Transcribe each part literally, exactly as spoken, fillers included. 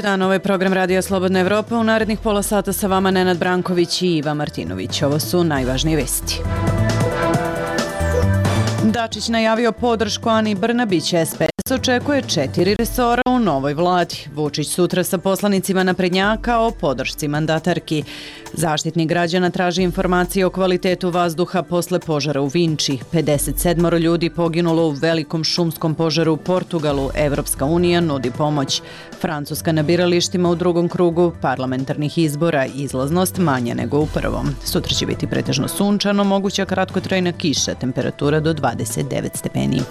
dan, ovo je program Radija Slobodna Evropa. U narednih pola sata sa vama Nenad Branković i Iva Martinović. Ovo su najvažnije vesti. Dačić najavio podršku Ani Brnabić. es pe es očekuje četiri resora u novoj vladi. Vučić sutra sa poslanicima naprednjaka o podršci mandatarki. Zaštitnik građana traži informacije o kvalitetu vazduha posle požara u Vinči. pedeset sedam ljudi poginulo u velikom šumskom požaru u Portugalu. Evropska unija nudi pomoć. Francuska na biralištima u drugom krugu parlamentarnih izbora. Izlaznost manja nego u prvom. Sutra će biti pretežno sunčano, moguća kratkotrajna kiša, temperatura do dvadeset devet stepeni.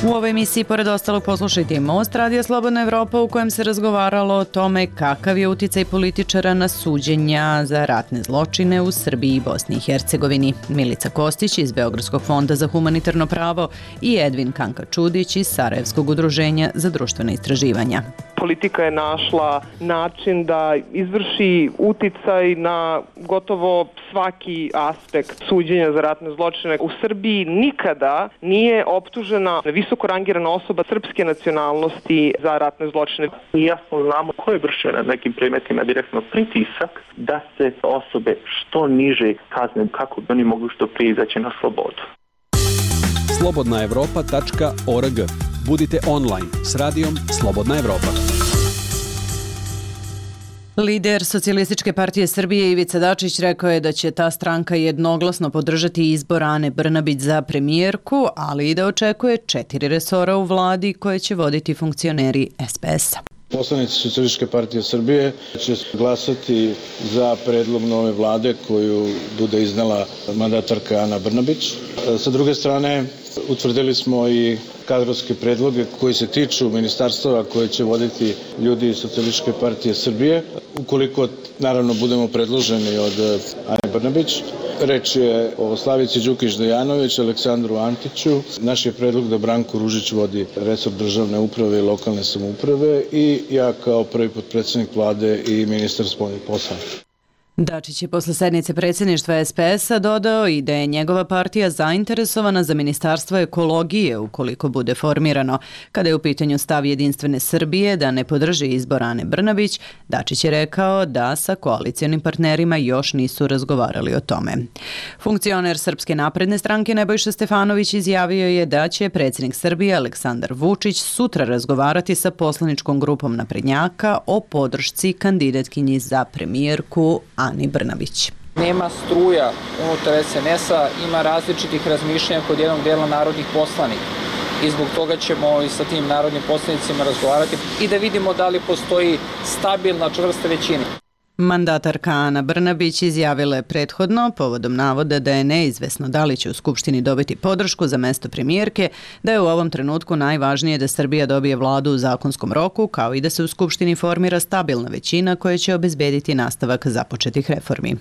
U ovoj emisiji, pored ostalog, poslušajte i Most, Radija Slobodna Evropa, u kojem se razgovaralo o tome kakav je uticaj političara na suđenja za ratne zločine u Srbiji i Bosni i Hercegovini. Milica Kostić iz Beogradskog fonda za humanitarno pravo i Edvin Kanka-Čudić iz Sarajevskog udruženja za društvena istraživanja. Politika je našla način da izvrši uticaj na gotovo svaki aspekt suđenja za ratne zločine. U Srbiji nikada nije optužena visoko rangirana osoba srpske nacionalnosti za ratne zločine. I jasno znamo ko je vršio na nekim predmetima direktno pritisak da se osobe što niže kazne kako bi oni mogli što prije izaći na slobodu. slobodna evropa tačka org. Budite online s radijom Slobodna Evropa. Lider Socijalističke partije Srbije Ivica Dačić rekao je da će ta stranka jednoglasno podržati izbor Ane Brnabić za premijerku, ali i da očekuje četiri resora u vladi koje će voditi funkcioneri es pe es-a. Poslanici Socijalističke partije Srbije će glasati za predlog nove vlade koju bude iznela mandatarka Ana Brnabić. Sa druge strane, utvrdili smo i kadrovske predloge koji se tiču ministarstava koje će voditi ljudi iz Socijalističke partije Srbije. Ukoliko, naravno, budemo predloženi od Ane Brnabić, reč je o Slavici Đukić-Dejanović, Aleksandru Antiću. Naš je predlog da Branko Ružić vodi resor državne uprave i lokalne samouprave i ja kao prvi potpredsjednik vlade i ministar spoljnih poslova. Dačić je posle sednice predsjedništva es pe es-a dodao i da je njegova partija zainteresovana za ministarstvo ekologije ukoliko bude formirano. Kada je u pitanju stav Jedinstvene Srbije da ne podrži izbor Ane Brnabić, Dačić je rekao da sa koalicijonim partnerima još nisu razgovarali o tome. Funkcioner Srpske napredne stranke Nebojša Stefanović izjavio je da će predsjednik Srbije Aleksandar Vučić sutra razgovarati sa poslaničkom grupom naprednjaka o podršci kandidatkinji za premijerku Ani Brnabić. Nema struja unutar es en es-a, ima različitih razmišljanja kod jednog dela narodnih poslanika i zbog toga ćemo i sa tim narodnim poslanicima razgovarati i da vidimo da li postoji stabilna čvrsta većina. Mandatarka Ana Brnabić izjavila je prethodno, povodom navoda da je neizvesno da li će u Skupštini dobiti podršku za mesto premijerke, da je u ovom trenutku najvažnije da Srbija dobije vladu u zakonskom roku, kao i da se u Skupštini formira stabilna većina koja će obezbediti nastavak započetih reformi.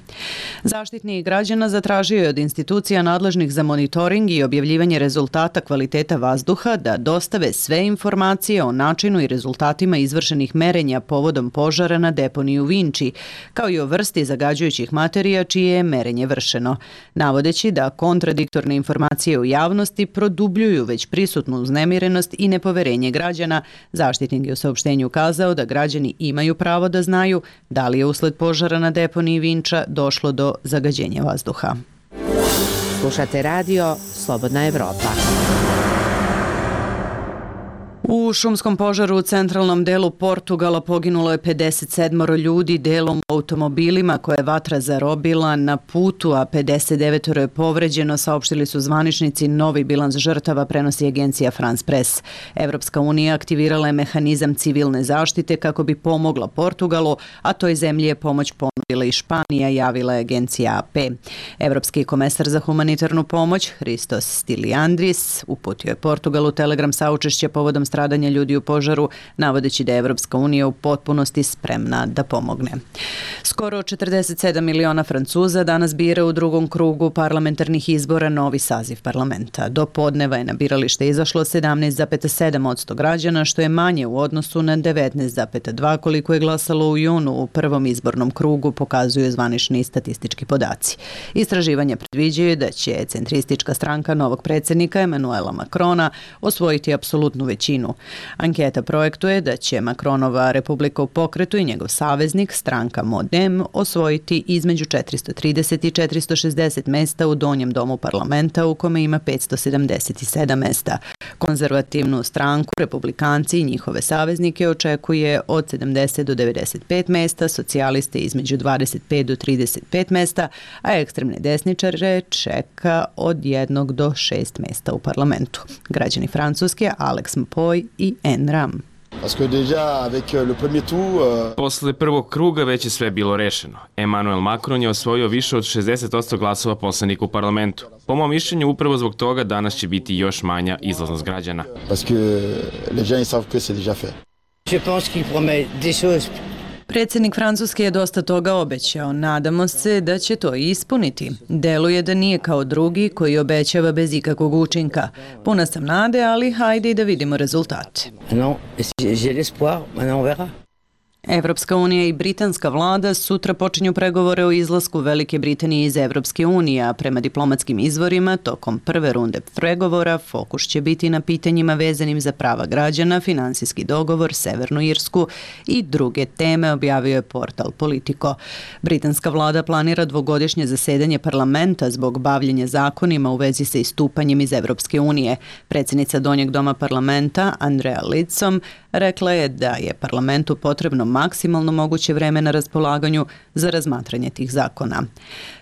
Zaštitnik građana zatražio je od institucija nadležnih za monitoring i objavljivanje rezultata kvaliteta vazduha da dostave sve informacije o načinu i rezultatima izvršenih merenja povodom požara na deponiji u Vinči, kao i o vrsti zagađujućih materija čije je merenje vršeno, navodeći da kontradiktorne informacije u javnosti produbljuju već prisutnu uznemirenost i nepoverenje građana. Zaštitnik je u saopštenju kazao da građani imaju pravo da znaju da li je usled požara na deponiji Vinča došlo do zagađenja vazduha. Slušate radio Slobodna Evropa. U šumskom požaru u centralnom delu Portugala poginulo je pedeset sedam ljudi delom u automobilima koje je vatra zarobila na putu, a pedeset devet je povređeno, saopštili su zvaničnici. Novi bilans žrtava prenosi agencija France Press. Evropska unija aktivirala je mehanizam civilne zaštite kako bi pomogla Portugalu, a toj zemlji je pomoć ponudila i Španija, javila je agencija a pe. Evropski komesar za humanitarnu pomoć Hristos Stiliandris uputio je Portugalu telegram saučešća povodom stradanja ljudi u požaru, navodeći da je Evropska unija u potpunosti spremna da pomogne. Skoro četrdeset sedam miliona Francuza danas bira u drugom krugu parlamentarnih izbora novi saziv parlamenta. Do podneva je na biralište izašlo sedamnaest zarez sedam posto građana, što je manje u odnosu na devetnaest zarez dva koliko je glasalo u junu u prvom izbornom krugu, pokazuju zvanični statistički podaci. Istraživanja predviđaju da će centristička stranka novog predsjednika Emanuela Macrona osvojiti apsolutnu većinu Ukrajinu. Anketa projektuje da će Macronova Republika u pokretu i njegov saveznik, stranka Modem, osvojiti između četiristo trideset i četiristo šezdeset mesta u donjem domu parlamenta u kome ima petsto sedamdeset sedam mesta. Konzervativnu stranku, republikanci i njihove saveznike očekuje od sedamdeset do devedeset pet mesta, socijaliste između dvadeset pet do trideset pet mesta, a ekstremne desničare čeka od jednog do šest mesta u parlamentu. Građani Francuske, Alex Mpoy i En Ram. Posle prvog kruga već je sve bilo rešeno. Emmanuel Macron je osvojio više od šezdeset posto glasova poslanika u parlamentu. Po mom mišljenju, upravo zbog toga danas će biti još manja izlaznost građana. Predsjednik Francuske je dosta toga obećao. Nadamo se da će to i ispuniti. Deluje da nije kao drugi koji obećava bez ikakvog učinka. Puna sam nade, ali hajde i da vidimo rezultate. Evropska unija i britanska vlada sutra počinju pregovore o izlasku Velike Britanije iz Evropske unije, a prema diplomatskim izvorima, tokom prve runde pregovora fokus će biti na pitanjima vezanim za prava građana, finansijski dogovor, Severnu Irsku i druge teme, objavio je portal Politico. Britanska vlada planira dvogodišnje zasedanje parlamenta zbog bavljenja zakonima u vezi sa istupanjem iz Evropske unije. Predsjednica Donjeg doma parlamenta, Andrea Lidsom, rekla je da je parlamentu potrebno maksimalno moguće vreme na raspolaganju za razmatranje tih zakona.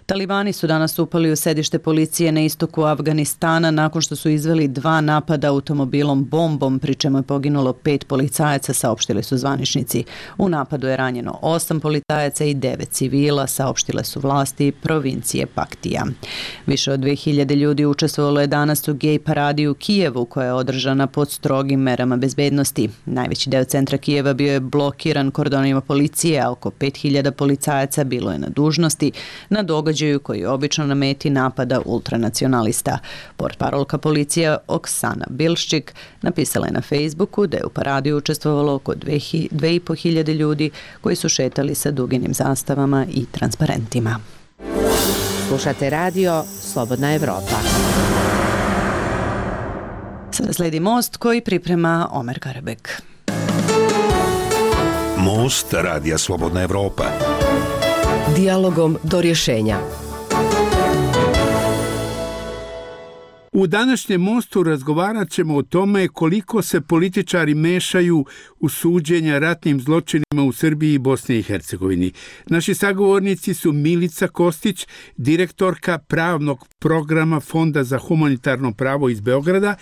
Talibani su danas upali u sedište policije na istoku Afganistana nakon što su izveli dva napada automobilom bombom, pri čemu je poginulo pet policajaca, saopštili su zvaničnici. U napadu je ranjeno osam policajaca i devet civila, saopštile su vlasti provincije Paktija. Više od dve hiljade ljudi učestvovalo je danas u gej paradi u Kijevu, koja je održana pod strogim merama bezbednosti. Najveći deo centra Kijeva bio je blokiran kordonima policije, a oko pet hiljada policajaca bilo je na dužnosti na događaju koji je obično na meti napada ultranacionalista. Portparolka policije Oksana Bilščik napisala je na Facebooku da je u paradi učestvovalo oko dve i po hiljade ljudi koji su šetali sa duginim zastavama i transparentima. Slušate radio Slobodna Evropa. Sada sledi Most koji priprema Omer Karabek. Most radija Slobodna Evropa. Dijalogom do rješenja. U današnjem Mostu razgovarat ćemo o tome koliko se političari mešaju u suđenja ratnim zločinima u Srbiji i Bosni i Hercegovini. Naši sagovornici su Milica Kostić, direktorka pravnog programa Fonda za humanitarno pravo iz Beograda,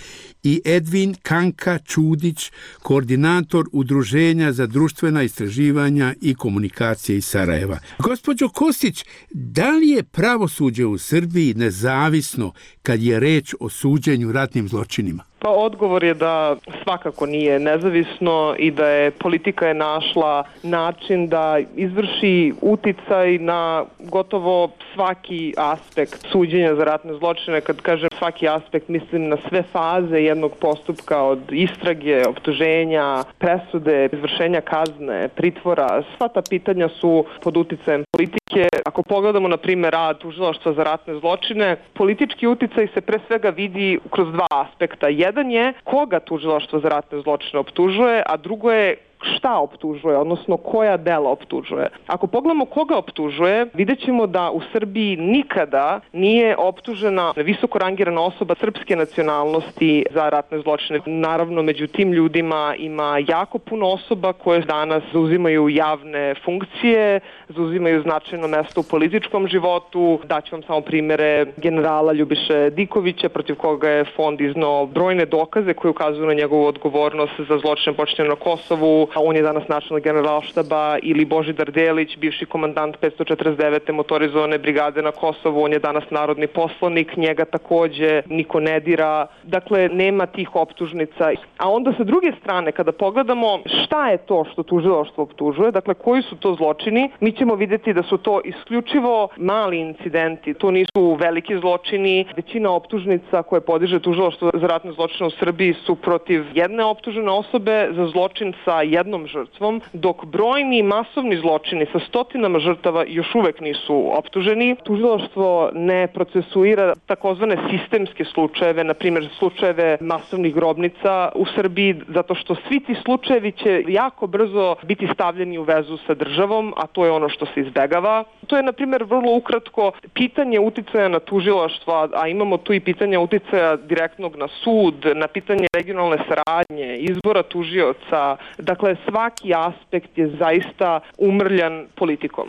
i Edvin Kanka Čudić, koordinator Udruženja za društvena istraživanja i komunikacije iz Sarajeva. Gospođo Kostić, da li je pravosuđe u Srbiji nezavisno kad je reč o suđenju ratnim zločinima? Pa odgovor je da svakako nije nezavisno i da je politika je našla način da izvrši uticaj na gotovo svaki aspekt suđenja za ratne zločine. Kad kažem svaki aspekt, mislim na sve faze jednog postupka, od istrage, optuženja, presude, izvršenja kazne, pritvora. Sva ta pitanja su pod uticajem politike. Ako pogledamo, na primjer, rad tužilaštva za ratne zločine, politički uticaj se pre svega vidi kroz dva aspekta. Jedan je koga tužilaštvo za ratne zločine optužuje, a drugo je šta optužuje, odnosno koja dela optužuje. Ako pogledamo koga optužuje, vidjet ćemo da u Srbiji nikada nije optužena visoko rangirana osoba srpske nacionalnosti za ratne zločine. Naravno, među tim ljudima ima jako puno osoba koje danas zauzimaju javne funkcije, zauzimaju značajno mesto u političkom životu. Daću vam samo primjere generala Ljubiše Dikovića, protiv koga je fond iznao brojne dokaze koje ukazuju na njegovu odgovornost za zločine počinjene na Kosovu. On je danas načelnik generalštaba, ili Božidar Delić, bivši komandant petsto četrdeset devete motorizovane brigade na Kosovu, on je danas narodni poslanik, njega takođe niko ne dira. Dakle, nema tih optužnica. A onda sa druge strane, kada pogledamo šta je to što tužilaštvo optužuje, dakle koji su to zločini, mi ćemo vidjeti da su to isključivo mali incidenti, to nisu veliki zločini. Većina optužnica koje podiže tužilaštvo za ratne zločine u Srbiji su protiv jedne optužene osobe za zločin sa jednom jednom žrtvom, dok brojni masovni zločini sa stotinama žrtava još uvek nisu optuženi. Tužilaštvo ne procesuira takozvane sistemske slučajeve, na primjer slučajeve masovnih grobnica u Srbiji, zato što svi ti slučajevi će jako brzo biti stavljeni u vezu sa državom, a to je ono što se izbegava. To je, na primjer, vrlo ukratko pitanje uticaja na tužilaštvo, a imamo tu i pitanje uticaja direktnog na sud, na pitanje regionalne saradnje, izbora tužioca. Dakle, svaki aspekt je zaista umrljan politikom.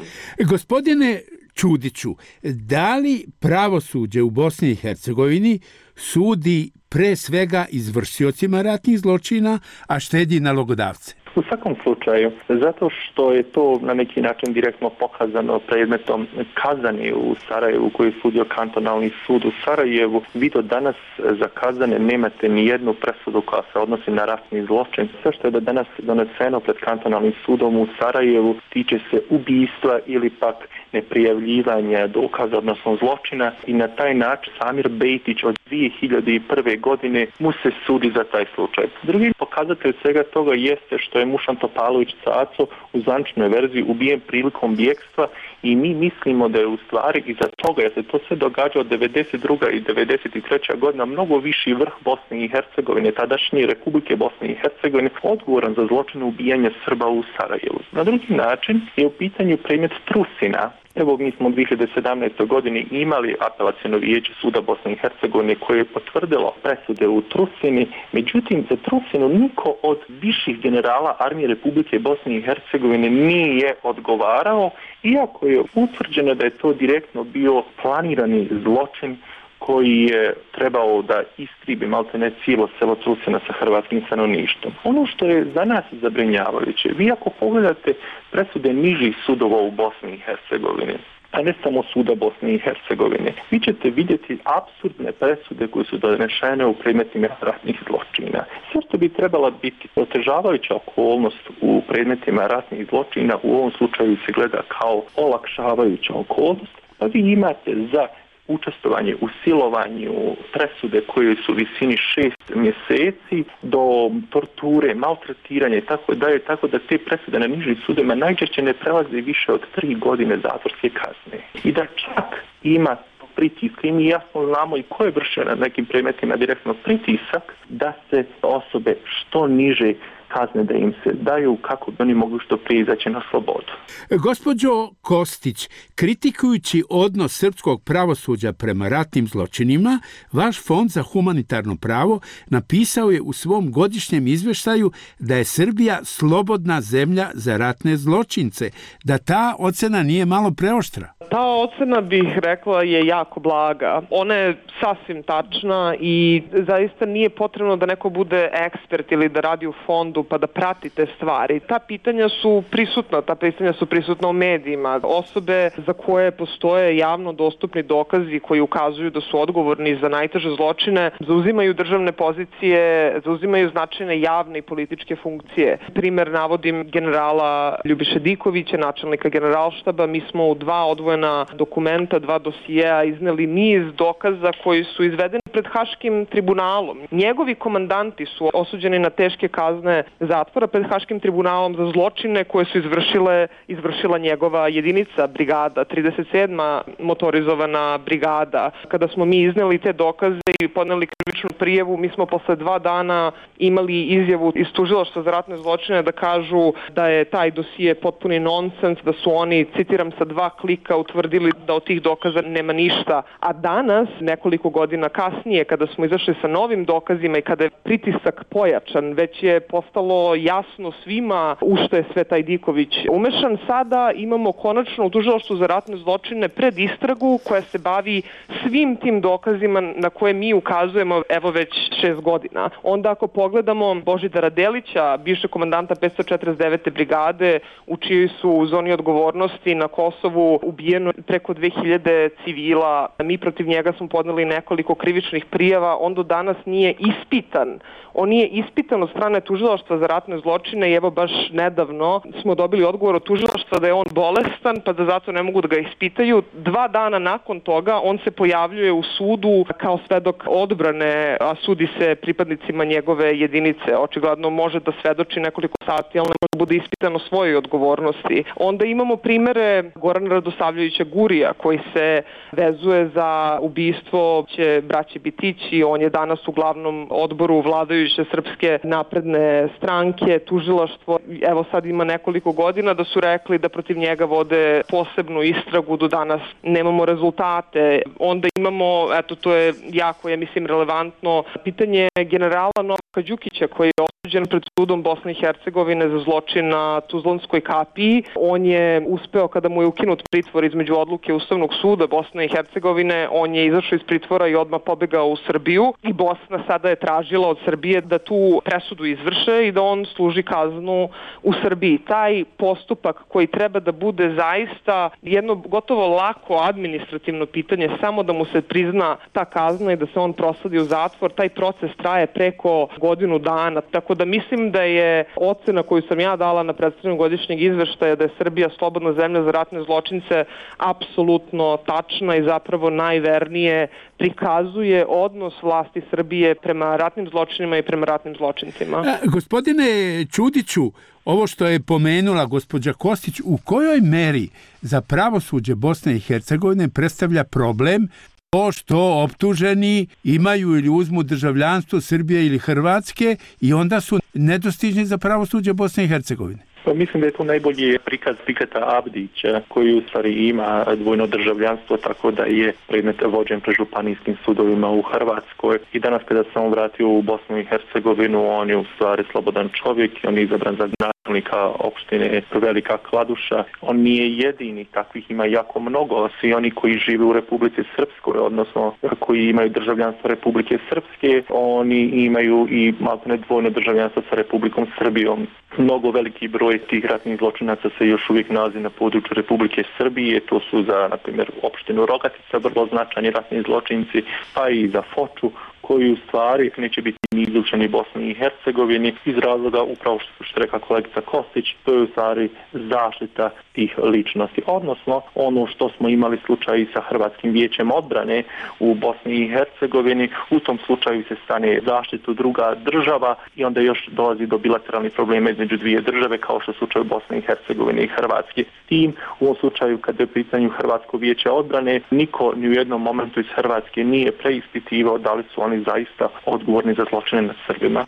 Gospodine Čudiću, da li pravosuđe u Bosni i Hercegovini sudi pre svega izvršiocima ratnih zločina, a štedi nalogodavce? U svakom slučaju, zato što je to na neki način direktno pokazano predmetom Kazani u Sarajevu koji je sudio kantonalni sud u Sarajevu, vi do danas za Kazane nemate ni jednu presudu koja se odnosi na ratni zločin. Sve što je do danas doneseno pred kantonalnim sudom u Sarajevu tiče se ubijstva ili pak neprijavljivanja dokaza, odnosno zločina, i na taj način Samir Bejtić od dvije hiljade prve. godine mu se sudi za taj slučaj. Drugi pokazatelj svega toga jeste što je Mušan Topalović Caco u zvaničnoj verziji ubijen prilikom bjekstva i mi mislimo da je u stvari iza toga, jer se to sve događa od devedeset druga i devedeset treća godina, mnogo viši vrh Bosne i Hercegovine, tadašnje Republike Bosne i Hercegovine, odgovoran za zločine ubijanja Srba u Sarajevu. Na drugi način je u pitanju predmet Trusina. Evo, mi smo u dvije hiljade sedamnaestoj. godini imali apelaciono vijeće suda Bosne i Hercegovine koje je potvrdilo presude u Trusini, međutim za Trusinu niko od viših generala armije Republike Bosne i Hercegovine nije odgovarao, iako je utvrđeno da je to direktno bio planirani zločin koji je trebao da istribi maltene cijelo selo Trusina sa hrvatskim stanovništvom. Ono što je za nas zabrinjavajuće, vi ako pogledate presude nižih sudova u Bosni i Hercegovini, a ne samo suda Bosne i Hercegovine, vi ćete vidjeti apsurdne presude koje su donešene u predmetima ratnih zločina. Sve što bi trebala biti otežavajuća okolnost u predmetima ratnih zločina u ovom slučaju se gleda kao olakšavajuća okolnost, pa vi imate za učestvovanje u silovanju presude koje su u visini šest mjeseci do torture, maltretiranja i tako dalje, tako da te presude na nižim sudovima najčešće ne prelaze više od tri godine zatvorske kazne. I da čak ima pritiska i mi jasno znamo i ko je vršio na nekim predmetima direktno pritisak da se osobe što niže kazne da im se daju kako bi oni mogli što prije izaći na slobodu. Gospođo Kostić, kritikujući odnos srpskog pravosuđa prema ratnim zločinima, vaš Fond za humanitarno pravo napisao je u svom godišnjem izveštaju da je Srbija slobodna zemlja za ratne zločince, da ta ocena nije malo preoštra. Ta ocena, bih rekla, je jako blaga. Ona je sasvim tačna i zaista nije potrebno da neko bude ekspert ili da radi u fondu pa da prati te stvari. Ta pitanja su prisutna, ta pitanja su prisutna u medijima. Osobe za koje postoje javno dostupni dokazi koji ukazuju da su odgovorni za najteže zločine, zauzimaju državne pozicije, zauzimaju značajne javne i političke funkcije. Primer navodim generala Ljubiše Dikovića, načelnika generalštaba. Mi smo u dva odvojena dokumenta, dva dosijeja izneli niz dokaza koji su izvedeni pred Haškim tribunalom. Njegovi komandanti su osuđeni na teške kazne zatvora pred Haškim tribunalom za zločine koje su izvršile, izvršila njegova jedinica, brigada, trideset sedma motorizovana brigada. Kada smo mi izneli te dokaze i podneli krivičnu prijavu, mi smo posle dva dana imali izjavu iz tužilaštva za ratne zločine da kažu da je taj dosije potpuni nonsens, da su oni, citiram, sa dva klika utvrdili da od tih dokaza nema ništa. A danas, nekoliko godina kasnije, kada smo izašli sa novim dokazima i kada je pritisak pojačan, već je postalo jasno svima u što je sve taj Diković umešan. Sada imamo konačno u tužilaštvu za ratne zločine pred istragu koja se bavi svim tim dokazima na koje mi ukazujemo evo već šest godina. Onda ako pogledamo Božidara Delića, bivšeg komandanta petsto četrdeset devete brigade, u čijoj su u zoni odgovornosti na Kosovu ubijeni ubijeno preko dve hiljade civila. Mi protiv njega smo podneli nekoliko krivičnih prijava. On do danas nije ispitan. On nije ispitan od strane tužilaštva za ratne zločine i evo baš nedavno smo dobili odgovor od tužilaštva da je on bolestan pa da zato ne mogu da ga ispitaju. Dva dana nakon toga on se pojavljuje u sudu kao svedok odbrane, a sudi se pripadnicima njegove jedinice. Očigledno može da svedoči nekoliko sati, ali ne može da bude ispitan o svojoj odgovornosti. Onda imamo primere Gorana Radosavljevića Gurija koji se vezuje za ubistvo će braće Bitići. On je danas u glavnom odboru vladajuće Srpske napredne stranke, tužilaštvo. Evo sad ima nekoliko godina da su rekli da protiv njega vode posebnu istragu, do danas nemamo rezultate. Onda imamo, eto to je jako, ja mislim, relevantno, pitanje generala Novaka Đukića koji je osuđen pred sudom Bosne i Hercegovine za zločin na Tuzlanskoj kapiji. On je uspeo, kada mu je ukinut pritvor između odluke Ustavnog suda Bosne i Hercegovine, on je izašao iz pritvora i odmah pobegao u Srbiju i Bosna sada je tražila od Srbije da tu presudu izvrše i da on služi kaznu u Srbiji. Taj postupak koji treba da bude zaista jedno gotovo lako administrativno pitanje, samo da mu se prizna ta kazna i da se on prosadi u zatvor, taj proces traje preko godinu dana. Tako da mislim da je ocena koju sam ja dala na predstavljanju godišnjeg izveštaja da je Srbija slobodna zemlja za ratne zločince apsolutno tačna i zapravo najvernije prikazuje odnos vlasti Srbije prema ratnim zločinima i prema ratnim zločincima. A, gospodine Čudiću, ovo što je pomenula gospođa Kostić, u kojoj meri za pravosuđe Bosne i Hercegovine predstavlja problem to što optuženi imaju ili uzmu državljanstvo Srbije ili Hrvatske i onda su nedostižni za pravosuđe Bosne i Hercegovine? Pa mislim da je to najbolji prikaz Fikata Abdića koji u stvari ima dvojno državljanstvo, tako da je predmet vođen pred županijskim sudovima u Hrvatskoj. I danas kada sam vratio u Bosnu i Hercegovinu, on je u stvari slobodan čovjek, on je izabran za načelnika opštine Velika Kladuša. On nije jedini, takvih ima jako mnogo. Svi oni koji žive u Republici Srpskoj, odnosno koji imaju državljanstvo Republike Srpske, oni imaju i maltene dvojno državljanstvo sa Republikom Srbijom. Mnogo veliki broj tih ratnih zločinaca se još uvijek nalazi na području Republike Srbije. To su za, na primjer, opštinu Rogatica vrlo značajni ratni zločinci, pa i za Foču, koji u stvari neće biti ni izlučeni Bosni i Hercegovini iz razloga upravo što, što reka kolegica Kostić, to je u stvari zaštita tih ličnosti. Odnosno, ono što smo imali slučaj i sa Hrvatskim vijećem odbrane u Bosni i Hercegovini, u tom slučaju se stane zaštitu druga država i onda još dolazi do bilateralnih problema između dvije države, kao što je slučaj u Bosni i Hercegovini i Hrvatske. S tim, u ovom slučaju, kada je u pitanju Hrvatsko vijeće odbrane, niko ni u jednom momentu iz Hrvatske nije preispitivao da li su oni zaista odgovorni za zločine nad Srbima.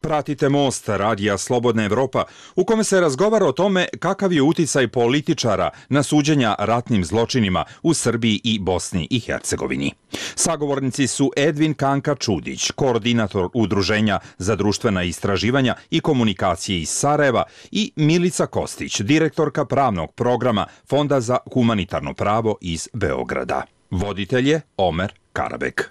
Pratite Most, radija Slobodna Evropa, u kome se razgovara o tome kakav je uticaj političara na suđenja ratnim zločinima u Srbiji i Bosni i Hercegovini. Sagovornici su Edvin Kanka Čudić, koordinator Udruženja za društvena istraživanja i komunikacije iz Sarajeva, i Milica Kostić, direktorka pravnog programa Fonda za humanitarno pravo iz Beograda. Voditelj je Omer Karabek.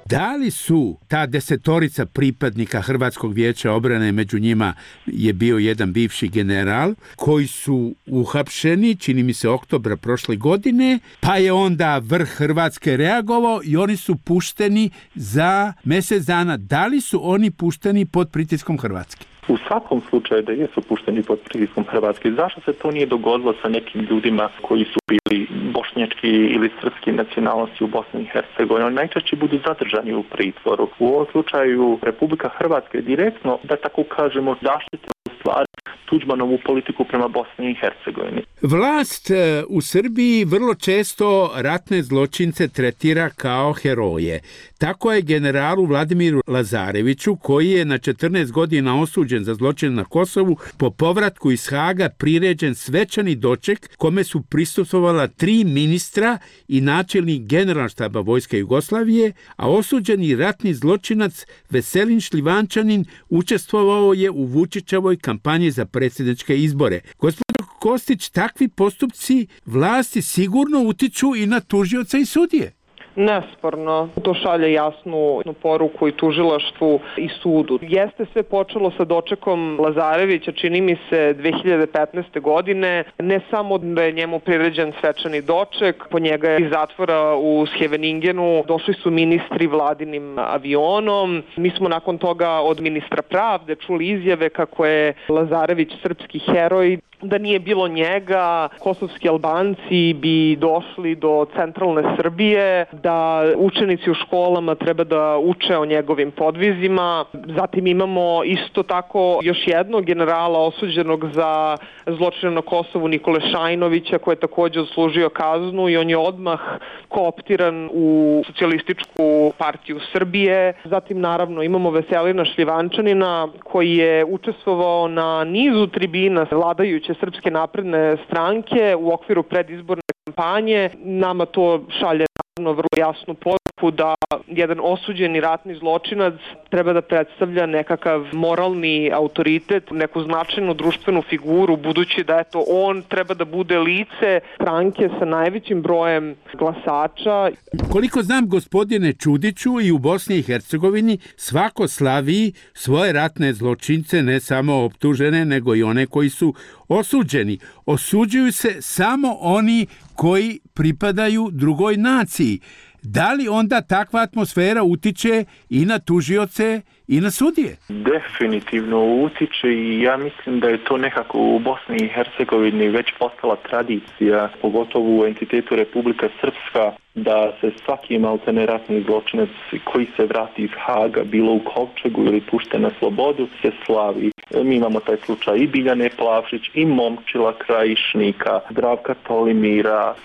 Da li su ta desetorica pripadnika Hrvatskog vijeća odbrane, među njima je bio jedan bivši general, koji su uhapšeni, čini mi se oktobra prošle godine, pa je onda vrh Hrvatske reagovao i oni su pušteni za mjesec dana. Da li su oni pušteni pod pritiskom Hrvatske? U svakom slučaju da jesu pušteni pod pritiskom Hrvatske. Zašto se to nije dogodilo sa nekim ljudima koji su bili bošnjački ili srpski nacionalnosti u Bosni i Hercegovini? Oni najčešće budu zadržani u pritvoru. U ovom slučaju Republika Hrvatska je direktno, da tako kažemo, zaštitila u stvari Tuđmanovu politiku prema Bosni i Hercegovini. Vlast u Srbiji vrlo često ratne zločince tretira kao heroje. Tako je generalu Vladimiru Lazareviću, koji je na četrnaest godina osuđen za zločin na Kosovu, po povratku iz Haga priređen svečani doček kome su prisustvovala tri ministra i načelnik Generalštaba Vojske Jugoslavije, a osuđeni ratni zločinac Veselin Šljivančanin učestvovao je u Vučićevoj kampanji za predsjedničke izbore. Gospodin Kostić, takvi postupci vlasti sigurno utiču i na tužioca i sudije. Nesporno, to šalje jasnu poruku i tužilaštvu i sudu. Jeste sve počelo sa dočekom Lazarevića, čini mi se dve hiljade petnaeste. godine, ne samo da je njemu priređen svečani doček, po njega je iz zatvora u Scheveningenu došli su ministri vladinim avionom. Mi smo nakon toga od ministra pravde čuli izjave kako je Lazarević srpski heroj. Da nije bilo njega, kosovski Albanci bi došli do centralne Srbije, da učenici u školama treba da uče o njegovim podvizima. Zatim imamo isto tako još jednog generala osuđenog za zločine na Kosovu, Nikole Šajnovića, koji je također odslužio kaznu i on je odmah kooptiran u socijalističku partiju Srbije. Zatim naravno imamo Veselina Šljivančanina koji je učestvovao na nizu tribina vladajuće Srpske napredne stranke u okviru predizborne kampanje. Nama to šalje naravno vrlo jasnu poruku da jedan osuđeni ratni zločinac treba da predstavlja nekakav moralni autoritet, neku značajnu društvenu figuru, budući da eto on treba da bude lice stranke sa najvećim brojem glasača. Koliko znam, gospodine Čudiću, i u Bosni i Hercegovini svako slavi svoje ratne zločince, ne samo optužene, nego i one koji su osuđeni. Osuđuju se samo oni koji pripadaju drugoj naciji. Da li onda takva atmosfera utiče i na tužioce i na sudije? Definitivno utiče i ja mislim da je to nekako u Bosni i Hercegovini već postala tradicija, pogotovo u entitetu Republika Srpska, da se svaki maltene ratni zločinac koji se vrati iz Haga, bilo u kovčegu ili pušten na slobodu, se slavi. Mi imamo taj slučaj i Biljane Plavšić, i Momčila Krajišnika, Zdravka Tolimira.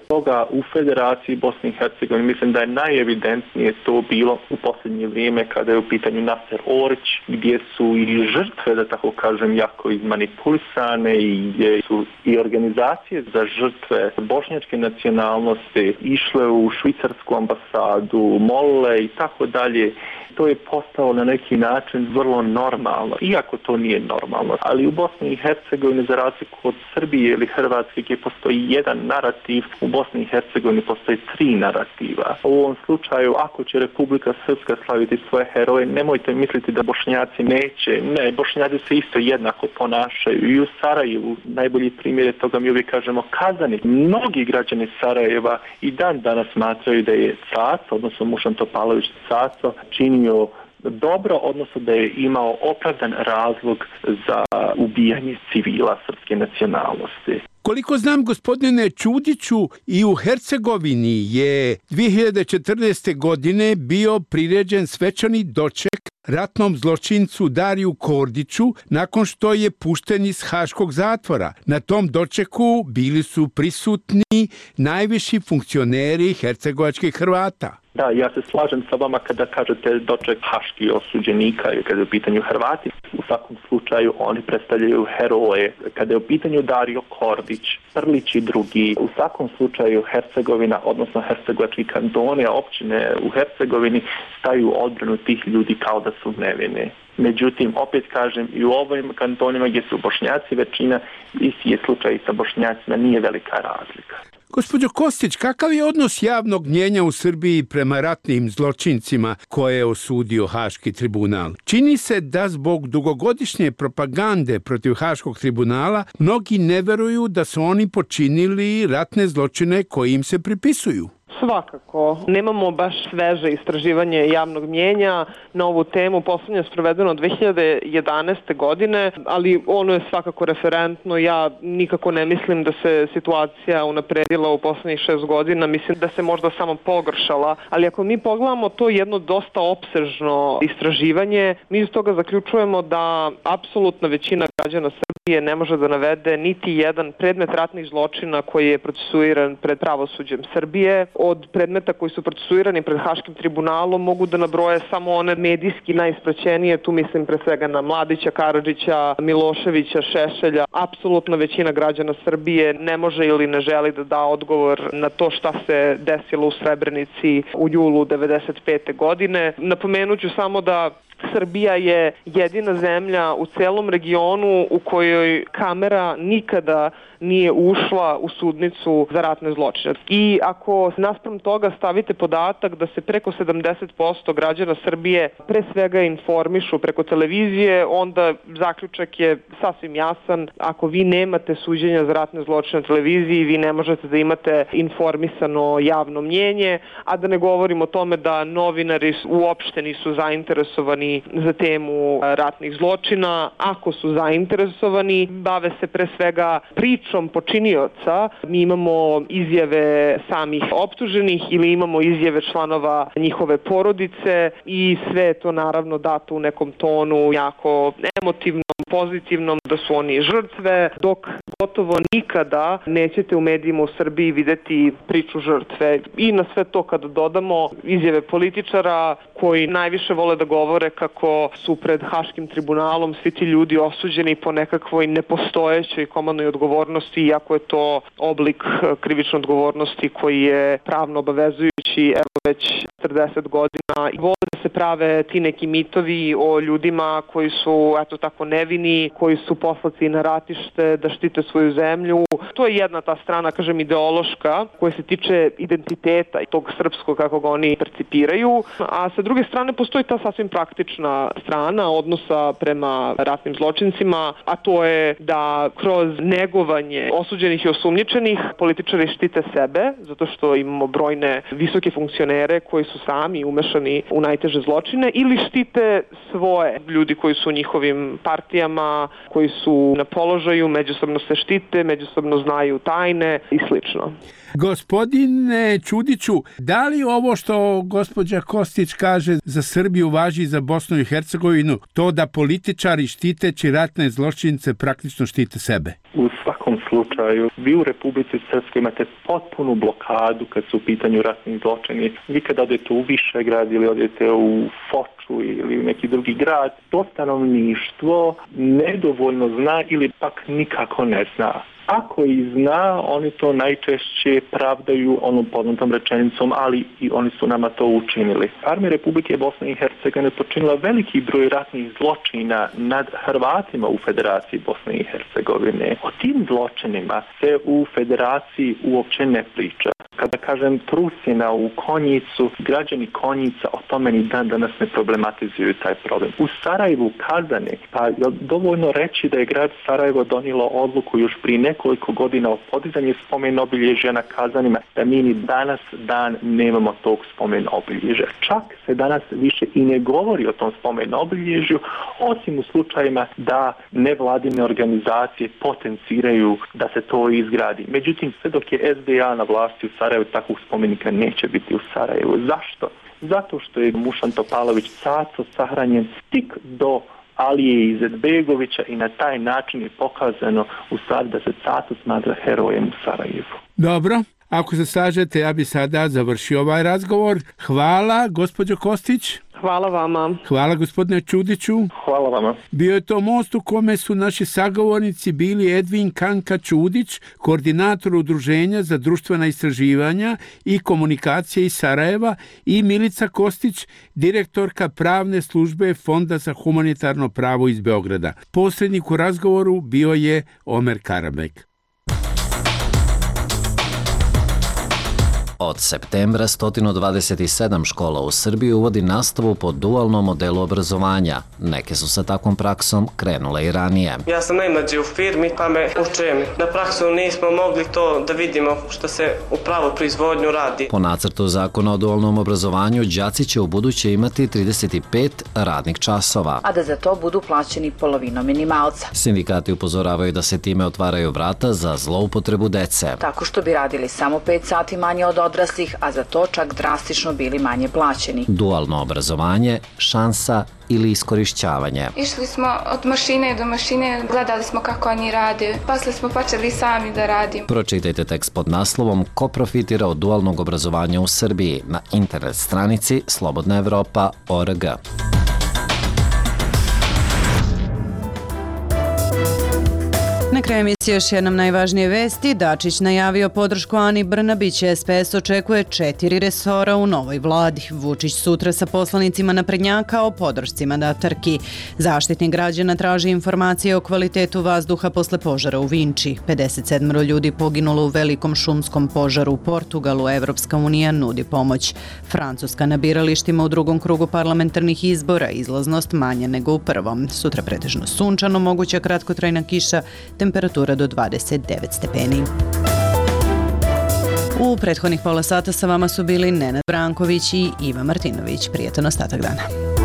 Toga u Federaciji Bosne i Hercegovine mislim da je najevidentnije to bilo u posljednje vrijeme kada je u pitanju Naser Orić, gdje su i žrtve, da tako kažem, jako izmanipulisane i gdje su i organizacije za žrtve bošnjačke nacionalnosti išle u švicarsku ambasadu, molile i tako dalje. To je postalo na neki način vrlo normalno, iako to nije normalno. Ali u Bosni i Hercegovini, za razliku od Srbije ili Hrvatske, gdje postoji jedan narativ, u Bosni i Hercegovini postoji tri narativa. U ovom slučaju, ako će Republika Srpska slaviti svoje heroje, nemojte misliti da Bošnjaci neće. Ne, Bošnjaci se isto jednako ponašaju. I u Sarajevu, najbolji primjer je toga, mi uvijek kažemo, Kazanik. Mnogi građani Sarajeva i dan danas smatraju da je Caco, odnosno Mušan Topalović Caco, činio dobro, odnosno da je imao opravdan razlog za ubijanje civila srpske nacionalnosti. Koliko znam, gospodine Čudiću, i u Hercegovini je dvije hiljade četrnaeste. godine bio priređen svečani doček ratnom zločincu Dariju Kordiću nakon što je pušten iz haškog zatvora. Na tom dočeku bili su prisutni najviši funkcioneri hercegovačkih Hrvata. Da, ja se slažem sa vama kada kažete doček haških osuđenika i kada je u pitanju Hrvati. U svakom slučaju oni predstavljaju heroje. Kada je u pitanju Dario Kordić, Prlić i drugi, u svakom slučaju Hercegovina, odnosno hercegovački kantoni, općine u Hercegovini staju u odbranu tih ljudi kao da su nevini. Međutim, opet kažem, i u ovim kantonima gdje su Bošnjaci većina, isti je slučaj i sa Bošnjacima, nije velika razlika. Gospođo Kostić, kakav je odnos javnog mnjenja u Srbiji prema ratnim zločincima koje je osudio Haški tribunal? Čini se da zbog dugogodišnje propagande protiv Haškog tribunala mnogi ne veruju da su oni počinili ratne zločine koji im se pripisuju. Svakako. Nemamo baš sveže istraživanje javnog mnjenja na ovu temu. Poslednje je sprovedeno dve hiljade jedanaeste. godine, ali ono je svakako referentno. Ja nikako ne mislim da se situacija unapredila u poslednjih šest godina. Mislim da se možda samo pogoršala. Ali ako mi pogledamo to jedno dosta opsežno istraživanje, mi iz toga zaključujemo da apsolutna većina građana Srbije ne može da navede niti jedan predmet ratnih zločina koji je procesuiran pred pravosuđem Srbije. Od predmeta koji su procesuirani pred Haškim tribunalom mogu da nabroje samo one medijski najispraćenije, tu mislim pre svega na Mladića, Karadžića, Miloševića, Šešelja. Apsolutna većina građana Srbije ne može ili ne želi da da odgovor na to šta se desilo u Srebrenici u julu devedeset pete. godine. Napomenuću samo da Srbija je jedina zemlja u celom regionu u kojoj kamera nikada nije ušla u sudnicu za ratne zločine. I ako naspram toga stavite podatak da se preko sedamdeset posto građana Srbije pre svega informišu preko televizije, onda zaključak je sasvim jasan. Ako vi nemate suđenja za ratne zločine na televiziji, vi ne možete da imate informisano javno mnjenje, a da ne govorim o tome da novinari uopšte nisu zainteresovani za temu ratnih zločina. Ako su zainteresovani, bave se pre svega pričom počinioca. Mi imamo izjave samih optuženih ili imamo izjave članova njihove porodice i sve je to naravno dato u nekom tonu jako emotivnom, pozitivnom, da su oni žrtve, dok gotovo nikada nećete u medijima u Srbiji videti priču žrtve. I na sve to kada dodamo izjave političara koji najviše vole da govore kako su pred Haškim tribunalom svi ti ljudi osuđeni po nekakvoj nepostojećoj komandnoj odgovornosti, iako je to oblik krivične odgovornosti koji je pravno obavezujući evo već četrdeset godina. I vole da se prave ti neki mitovi o ljudima koji su eto tako nevini, koji su poslati na ratište da štite svoju zemlju. To je jedna ta strana, kažem, ideološka, koja se tiče identiteta i tog srpskog kako ga oni percipiraju, a sa druge strane postoji ta sasvim praktična strana odnosa prema ratnim zločincima, a to je da kroz negovanje osuđenih i osumnjičenih političari štite sebe, zato što imamo brojne visoke funkcionere koji su sami umešani u najteže zločine, ili štite svoje ljudi koji su u njihovim partijama, koji su na položaju, međusobno se štite, međusobno znaju tajne i slično. Gospodine Ćudiću, da li ovo što gospođa Kostić kaže za Srbiju važi i za Bosnu i Hercegovinu, to da političari štiteći ratne zločince praktično štite sebe? U svakom slučaju, vi u Republici Srpskoj imate potpunu blokadu kad su u pitanju ratnih zločini. Vi kad odete u Višegrad ili odete u Foču ili u neki drugi grad, to stanovništvo nedovoljno zna ili pak nikako ne zna. Ako i zna, oni to najčešće pravdaju onom poznatom rečenicom, ali i oni su nama to učinili. Armija Republike Bosne i Hercegovine počinila veliki broj ratnih zločina nad Hrvatima u Federaciji Bosne i Hercegovine. O tim zločinima se u Federaciji uopće ne priča. Kada kažem Trusina u Konjicu, građani Konjica o tome ni dan danas ne problematizuju taj problem. U Sarajevu, Kazani, pa je dovoljno reći da je grad Sarajevo donijelo odluku još prije nekoliko godina o podizanju spomen obilježja na Kazanima, da mi ni danas dan nemamo tog spomen obilježja. Čak se danas više i ne govori o tom spomen obilježju, osim u slučajima da nevladine organizacije potenciraju da se to izgradi. Međutim, sve dok je S D A na vlasti u Sarajevu, takvog spomenika neće biti u Sarajevu. Zašto? Zato što je Mušan Topalović Caco sahranjen stik do Alije Izetbegovića i na taj način je pokazano u stvari da se Caco smatra herojem u Sarajevu. Dobro, ako se slažete, ja bi sada završio ovaj razgovor. Hvala, gospođo Kostić. Hvala vama. Hvala, gospodine Ćudiću. Hvala vama. Bio je to most u kome su naši sagovornici bili Edvin Kanka Ćudić, koordinator Udruženja za društvena istraživanja i komunikacije iz Sarajeva, i Milica Kostić, direktorka pravne službe Fonda za humanitarno pravo iz Beograda. Posrednik u razgovoru bio je Omer Karabek. Od septembra sto dvadeset sedam škola u Srbiji uvodi nastavu po dualnom modelu obrazovanja. Neke su sa takvom praksom krenule i ranije. Ja sam najmlađi u firmi, pa me učem. Na praksu nismo mogli to da vidimo što se u pravu proizvodnju radi. Po nacrtu zakona o dualnom obrazovanju, đaci će u buduće imati trideset pet radnih časova, a da za to budu plaćeni polovinom minimalca. Sindikati upozoravaju da se time otvaraju vrata za zloupotrebu dece. Tako što bi radili samo pet sati manje od odraslih, a za to čak drastično bili manje plaćeni. Dualno obrazovanje, šansa ili iskorišćavanje. Išli smo od mašine do mašine, gledali smo kako oni rade, posle smo počeli sami da radimo. Pročitajte tekst pod naslovom Ko profitira od dualnog obrazovanja u Srbiji na internet stranici slobodna evropa tačka org. Na kraju emisije Utorci još jednom najvažnije vesti. Dačić najavio podršku Ani Brnabić. S P S očekuje četiri resora u novoj vladi. Vučić sutra sa poslanicima naprednjaka o podršci mandatarki. Zaštitnik građana traži informacije o kvalitetu vazduha posle požara u Vinči. pedeset sedam ljudi poginulo u velikom šumskom požaru u Portugalu. Evropska unija nudi pomoć. Francuska na biralištima u drugom krugu parlamentarnih izbora. Izlaznost manja nego u prvom. Sutra pretežno sunčano, moguća kratkotrajna kiša, temperatura do dvadeset devet stepeni. U prethodnih pola sata sa vama su bili Nenad Branković i Iva Martinović. Prijetan ostatak dana.